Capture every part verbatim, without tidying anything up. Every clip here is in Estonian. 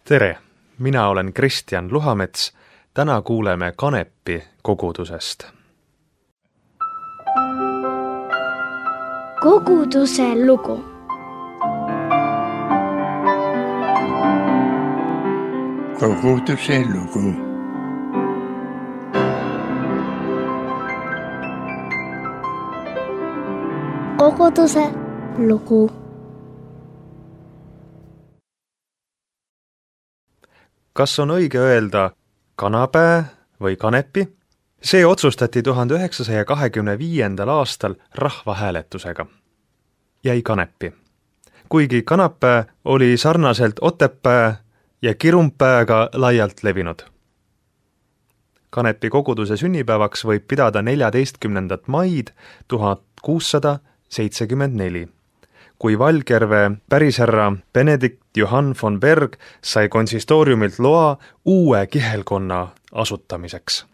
Tere, mina olen Kristjan Luhamets. Täna kuuleme Kanepi kogudusest. Koguduse lugu. Koguduse lugu. Koguduse lugu. Kas on õige öelda kanapää või kanepi? See otsustati tuhande üheksasaja kahekümne viiendal aastal rahvahääletusega. Jäi kanepi. Kuigi kanapää oli sarnaselt otepää ja kirumpääga laialt levinud. Kanepi koguduse sünnipäevaks võib pidada neljateistkümnendat maid tuhat kuussada seitsekümmend neli. Kui Valgjärve pärisherra Benedikt Johann von Berg sai konsistooriumilt loa uue kihelkonna asutamiseks.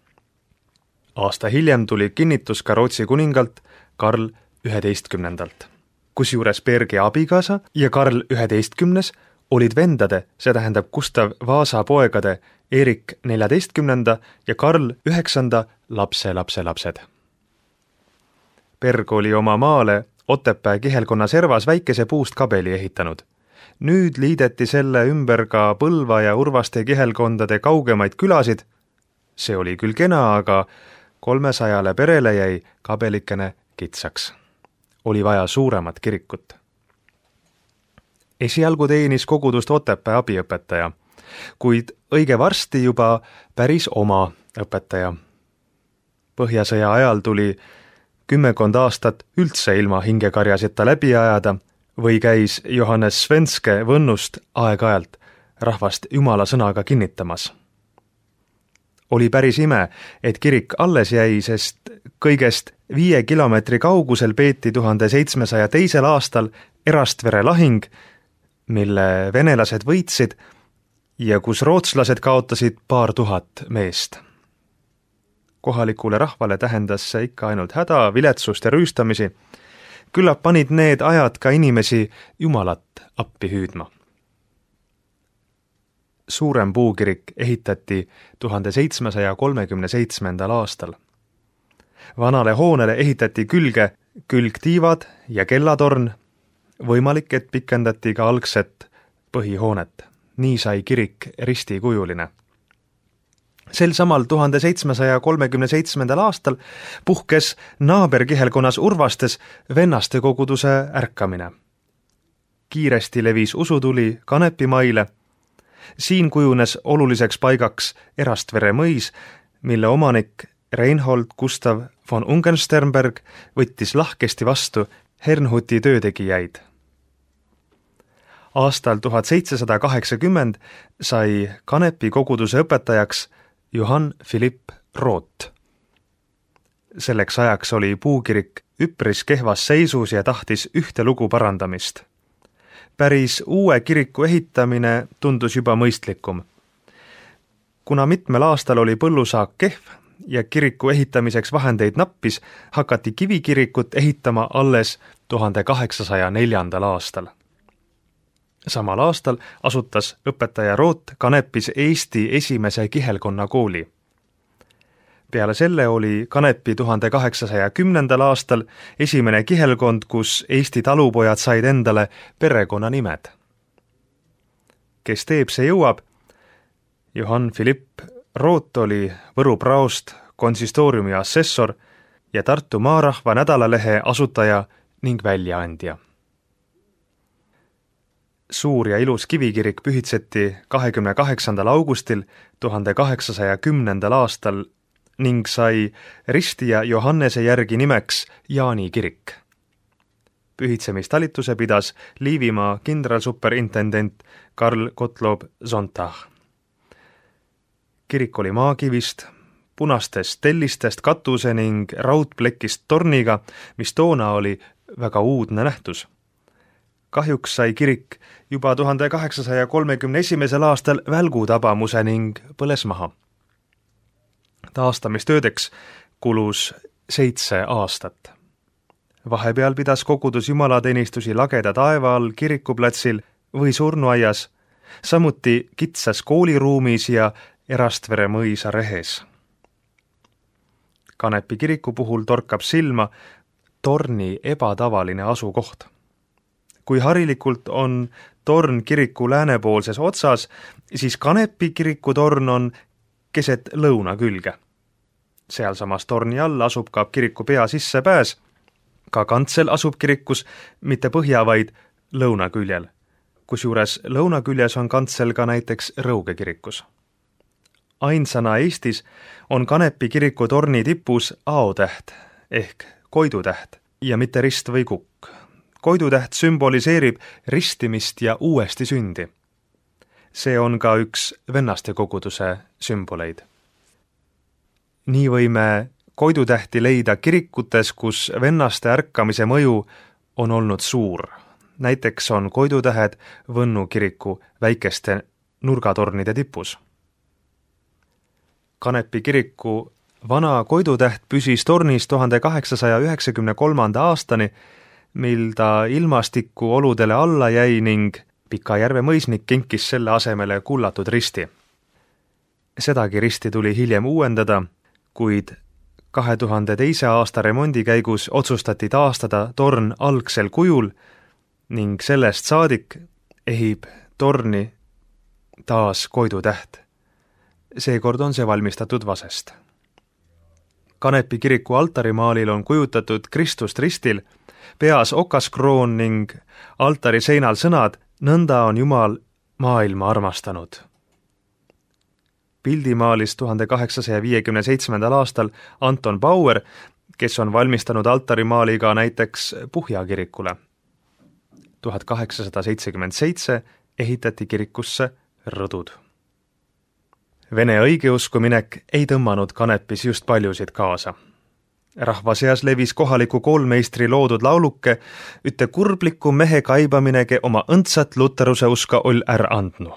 Aasta hiljem tuli kinnitus ka Rootsi kuningalt Karl üheteistkümnendalt. Kusjuures Bergi abikaasa ja Karl üheteistkümnes olid vendade, see tähendab Gustav Vaasa poegade Erik neljateistkümnenda ja Karl üheksanda lapse lapse lapsed. Berg oli oma maale Otepää kihelkonna servas väikese puust kabeli ehitanud. Nüüd liideti selle ümber ka Põlva ja Urvaste kihelkondade kaugemaid külasid. See oli küll kena, aga kolmesajale perele jäi kabelikene kitsaks. Oli vaja suuremat kirikut. Esialgu teenis kogudust Otepää abiõpetaja, kuid õige varsti juba päris oma õpetaja. Põhjasõja ajal tuli kümmekond aastat üldse ilma hingekarjaseta läbi ajada või käis Johannes Svenske Võnnust aeg-ajalt rahvast jumala sõnaga kinnitamas. Oli päris ime, et kirik alles jäi, sest kõigest viie kilomeetri kaugusel peeti tuhande seitsmesaja teisel aastal Erastvere lahing, mille venelased võitsid ja kus rootslased kaotasid paar tuhat meest. Kohalikule rahvale tähendas see ikka ainult häda, viletsust ja rüüstamisi. Küllap panid need ajad ka inimesi jumalat appi hüüdma. Suurem puukirik ehitati tuhande seitsmesaja kolmekümne seitsmendal aastal. Vanale hoonele ehitati külge külgtiivad ja kellatorn, võimalik, et pikendati ka algset põhihoonet. Nii sai kirik ristikujuline. Sel samal tuhande seitsmesaja kolmekümne seitsmendal aastal puhkes naaberkihelkonnas Urvastes vennaste koguduse ärkamine. Kiiresti levis usutuli Kanepimaile. Siin kujunes oluliseks paigaks Erastvere mõis, mille omanik Reinhold Gustav von Ungensternberg võttis lahkesti vastu Hernhuti töötegijaid. Aastal tuhat seitsesada kaheksakümmend sai Kanepi koguduse õpetajaks Johann Philipp Roth. Selleks ajaks oli puukirik üpris kehvas seisus ja tahtis ühte lugu parandamist. Päris uue kiriku ehitamine tundus juba mõistlikum. Kuna mitmel aastal oli põllusaak kehv ja kiriku ehitamiseks vahendeid nappis, hakati kivikirikut ehitama alles tuhande kaheksasaja neljandal aastal. Samal aastal asutas õpetaja Roth Kanepis Eesti esimese kihelkonna kooli. Peale selle oli Kanepi tuhande kaheksasaja kümnendal aastal esimene kihelkond, kus Eesti talupojad said endale perekonna nimed. Kes teeb, see jõuab. Johann Philipp Roth oli Võru praost, konsistooriumi assessor ja Tartu Maarahva nädalalehe asutaja ning väljaandja. Suur ja ilus kivikirik pühitseti kahekümne kaheksandal augustil tuhande kaheksasaja kümnendal aastal ning sai ristija Johannese järgi nimeks Jaani kirik. Pühitsemistalituse pidas Liivimaa kindralsuperintendent Karl Gottlob Sonntag. Kirik oli maakivist, punastest tellistest katuse ning raudplekist torniga, mis toona oli väga uudne nähtus. Kahjuks sai kirik juba tuhande kaheksasaja kolmekümne esimesel aastal välgutabamuse ning põles maha. Taastamistöödeks kulus seitse aastat. Vahepeal pidas kogudus jumalateenistusi Lageda taeva all kirikuplatsil või surnuaias samuti kitsas kooliruumis ja Erastvere mõisa rehes. Kanepi kiriku puhul torkab silma torni ebatavaline asukoht. Kui harilikult on torn kiriku läänepoolses otsas, siis Kanepi kiriku torn on keset lõuna külge. Sealsamas torni all asub ka kiriku pea sissepääs. Ka kantsel asub kirikus mitte põhja, vaid lõuna küljel. Kusjuures lõuna küljes on kantsel ka näiteks Rõuge kirikus. Ainsana Eestis on Kanepi kiriku torni tipus aotäht ehk koidutäht ja mitte rist või kukk. Koidutäht sümboliseerib ristimist ja uuesti sündi. See on ka üks vennaste koguduse sümboleid. Nii võime koidutähti leida kirikutes, kus vennaste ärkamise mõju on olnud suur. Näiteks on koidutähed Võnnu kiriku väikeste nurgatornide tipus. Kanepi kiriku vana koidutäht püsis tornis tuhande kaheksasaja üheksakümne kolmanda aastani, mil ta ilmastiku oludele alla jäi ning Pikajärve mõisnik kinkis selle asemele kullatud risti. Sedagi risti tuli hiljem uuendada, kuid kahe tuhande teise aasta remondi käigus otsustati taastada torn algsel kujul ning sellest saadik ehib torni taas koidutäht. Seekord on see valmistatud vasest. Kanepi kiriku altarimaalil on kujutatud Kristust ristil, peas okaskroon ning altari seinal sõnad "Nõnda on Jumal maailma armastanud". Pildi maalis tuhande kaheksasaja viiekümne seitsmendal aastal Anton Bauer, kes on valmistanud altarimaali ka näiteks Puhja kirikule. tuhat kaheksasada seitsekümmend seitse ehitati kirikusse rõdud. Vene õigeusku minek ei tõmmanud Kanepis just paljusid kaasa. Rahva seas levis kohaliku koolmeistri loodud lauluke "Üte kurbliku mehe kaibaminege oma õndsat luteruse uska oll är andnu".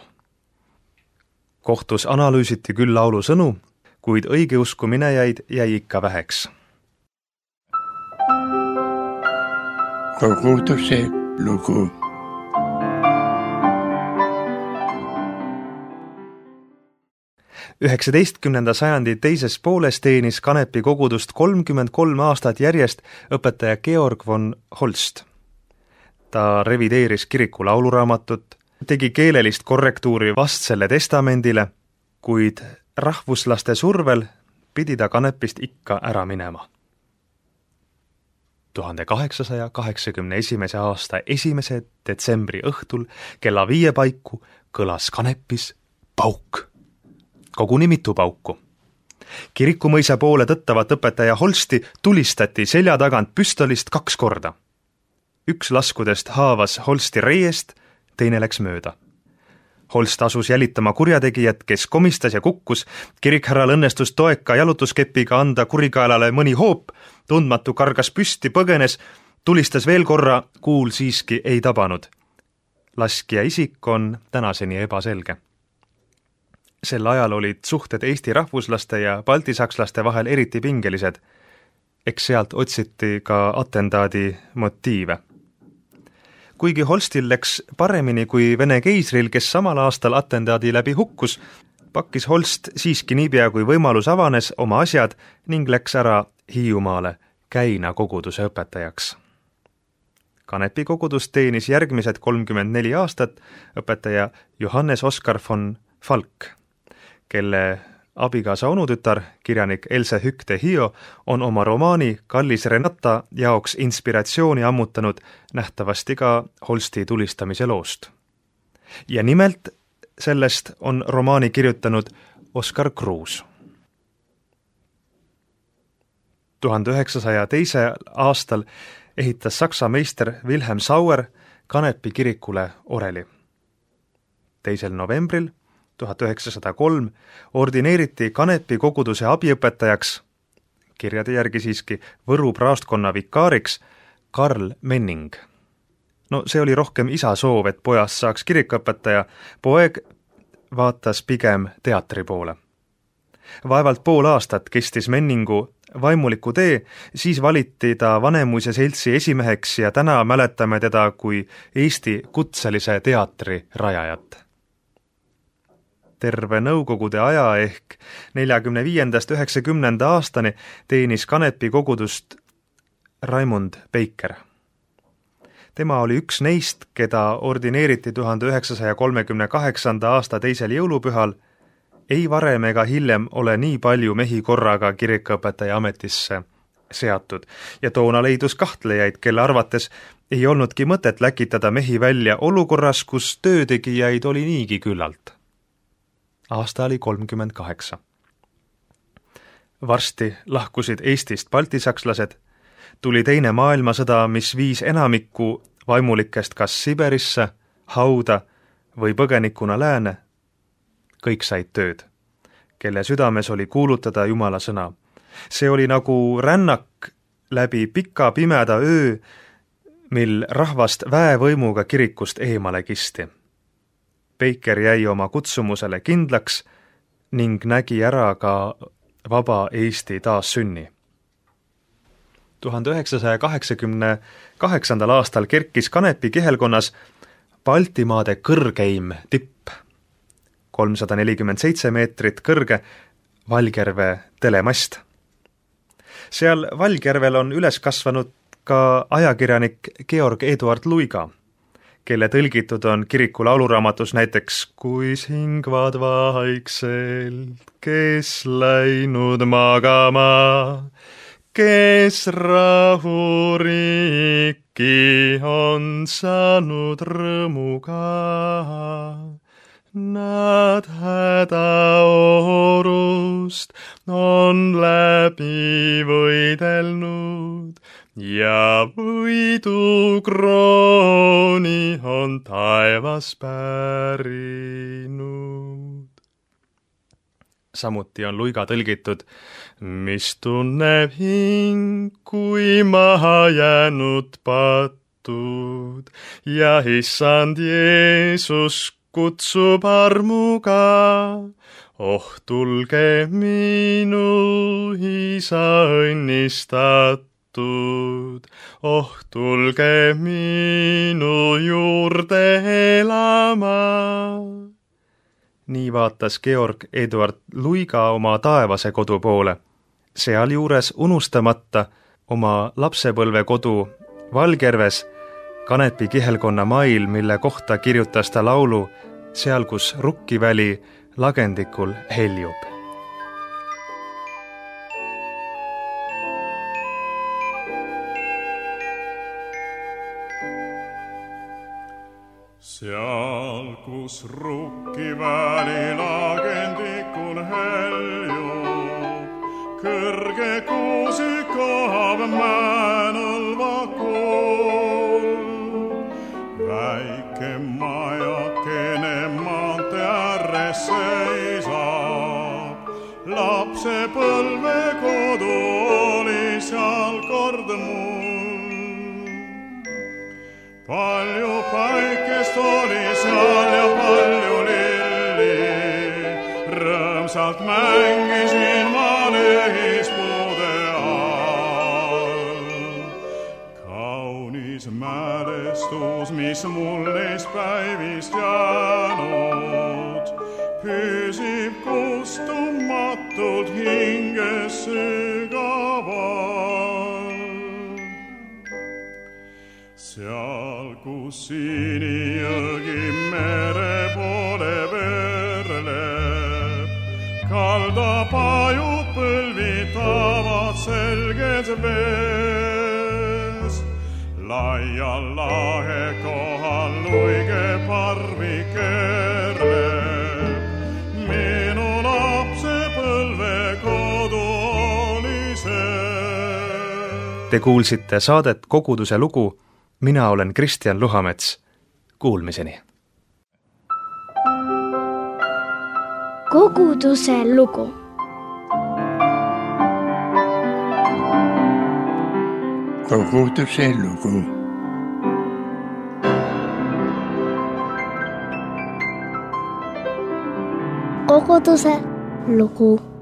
Kohtus analüüsiti küll laulu sõnu, kuid õigeusku minejaid jäi ikka väheks. Koguduse lugu. üheksateistkümnenda sajandi teises pooles teenis Kanepi kogudust kolmkümmend kolm aastat järjest õpetaja Georg von Holst. Ta revideeris kiriku lauluraamatut, tegi keelelist korrektuuri vastsele testamendile, kuid rahvuslaste survel pidi ta Kanepist ikka ära minema. tuhande kaheksasaja kaheksakümne esimese aasta esimese detsembri õhtul kella viie paiku kõlas Kanepis pauk. Koguni mitu pauku. Kirikumõisa poole tõttavat õpetaja Holsti tulistati selja tagant püstolist kaks korda. Üks laskudest haavas Holsti reiest, teine läks mööda. Holst asus jälitama kurjategijat, kes komistas ja kukkus, kirikhärral õnnestus toeka jalutuskepiga anda kurikaelale mõni hoop, tundmatu kargas püsti, põgenes, tulistas veel korra, kuul siiski ei tabanud. Laskja isik on tänaseni ebaselge. Sel ajal olid suhted Eesti rahvuslaste ja baltisakslaste vahel eriti pingelised. Eks sealt otsiti ka atentaadi motiive. Kuigi Holstil läks paremini kui Vene keisril, kes samal aastal atentaadi läbi hukkus, pakkis Holst siiski niipea kui võimalus avanes oma asjad ning läks ära Hiiumaale Käina koguduse õpetajaks. Kanepi kogudus teenis järgmised kolmkümmend neli aastat õpetaja Johannes Oskar von Falk, kelle abikaasa onutütar, kirjanik Else Hükte Hio, on oma romaani Kallis Renata jaoks inspiratsiooni ammutanud nähtavasti ka Holsti tulistamise loost. Ja nimelt sellest on romaani kirjutanud Oskar Kruus. tuhande üheksasaja teise aastal ehitas saksa meister Wilhelm Sauer Kanepi kirikule oreli. teisel novembril tuhat üheksasada kolm ordineeriti Kanepi koguduse abiõpetajaks, kirjade järgi siiski Võru praostkonna vikaariks, Karl Menning. No see oli rohkem isa soov, et pojast saaks kirikuõpetaja, poeg vaatas pigem teatri poole. Vaevalt pool aastat kestis Menningu vaimuliku tee, siis valiti ta Vanemuise seltsi esimeheks ja täna mäletame teda kui Eesti kutselise teatri rajajat. terve nõukogude aja ehk neljakümne viiendast üheksakümnenda aastani teenis Kanepi kogudust Raimond Peiker. Tema oli üks neist, keda ordineeriti tuhande üheksasaja kolmekümne kaheksanda aasta teisel jõulupühal. Ei varem ega hiljem ole nii palju mehi korraga kirikuõpetaja ametisse seatud ja toona leidus kahtlejaid, kelle arvates ei olnudki mõtet läkitada mehi välja olukorras, kus töötegijaid oli niigi küllalt. Aasta oli kolmkümmend kaheksa. Varsti lahkusid Eestist baltisakslased, tuli teine maailmasõda, mis viis enamikku vaimulikest kas Siberisse, hauda või põgenikuna lääne. Kõik said tööd, kelle südames oli kuulutada Jumala sõna. See oli nagu rännak läbi pika pimeda öö, mil rahvast väevõimuga kirikust eemale kisti. Peiker jäi oma kutsumusele kindlaks ning nägi ära ka vaba Eesti taassünni. tuhande üheksasaja kaheksakümne kaheksandal aastal kerkis Kanepi kihelkonnas Baltimaade kõrgeim tipp, kolmsada nelikümmend seitse meetrit kõrge Valgjärve telemast. Seal Valgjärvel on üles kasvanud ka ajakirjanik Georg Eduard Luiga, kelle tõlgitud on kiriku lauluraamatus näiteks Kuis hingvad vaikselt, kes läinud magama, kes rahuriiki on saanud rõõmuga. Nad hädaorust on läbi võidelnud ja võidukrooni on taevas pärinud. Samuti on Luiga tõlgitud, mis tunneb hing, kui maha jäänud patud ja issand Jeesus kutsub armuga. Oh, tulge minu isa õnnistatud, oh, tulge minu juurde elama. Nii vaatas Georg Eduard Luiga oma taevase kodu poole, sealjuures unustamata oma lapsepõlve kodu Valgjärves, Kanepi kihelkonna mail, mille kohta kirjutas ta laulu Seal, kus rukkiväli lagendikul heljub. Seal, kus rukkiväli lagendikul heljub, kõrge kuusikaab määnõlva kool. Väike majakene maante ääres seisab, lapsepõlve kodu oli seal kord mul. Palju päikest oli seal ja palju lilli, rõõmsalt mängisin ma lehispuude all. Kaunis mälestus, mis mul neist päivist jäänud, püsib kustumatult hinges sügaval. Seal, kus sinijõgi mere poole verleb, kalda pajud põlvitavad selged vees. Laial lahe kohal luige parvi kerleb, minu lapsepõlve kodu oli see. Te kuulsite saadet Koguduse lugu. Mina olen Kristjan Luhamets. Kuulmiseni. Koguduse lugu. Koguduse lugu. Koguduse lugu.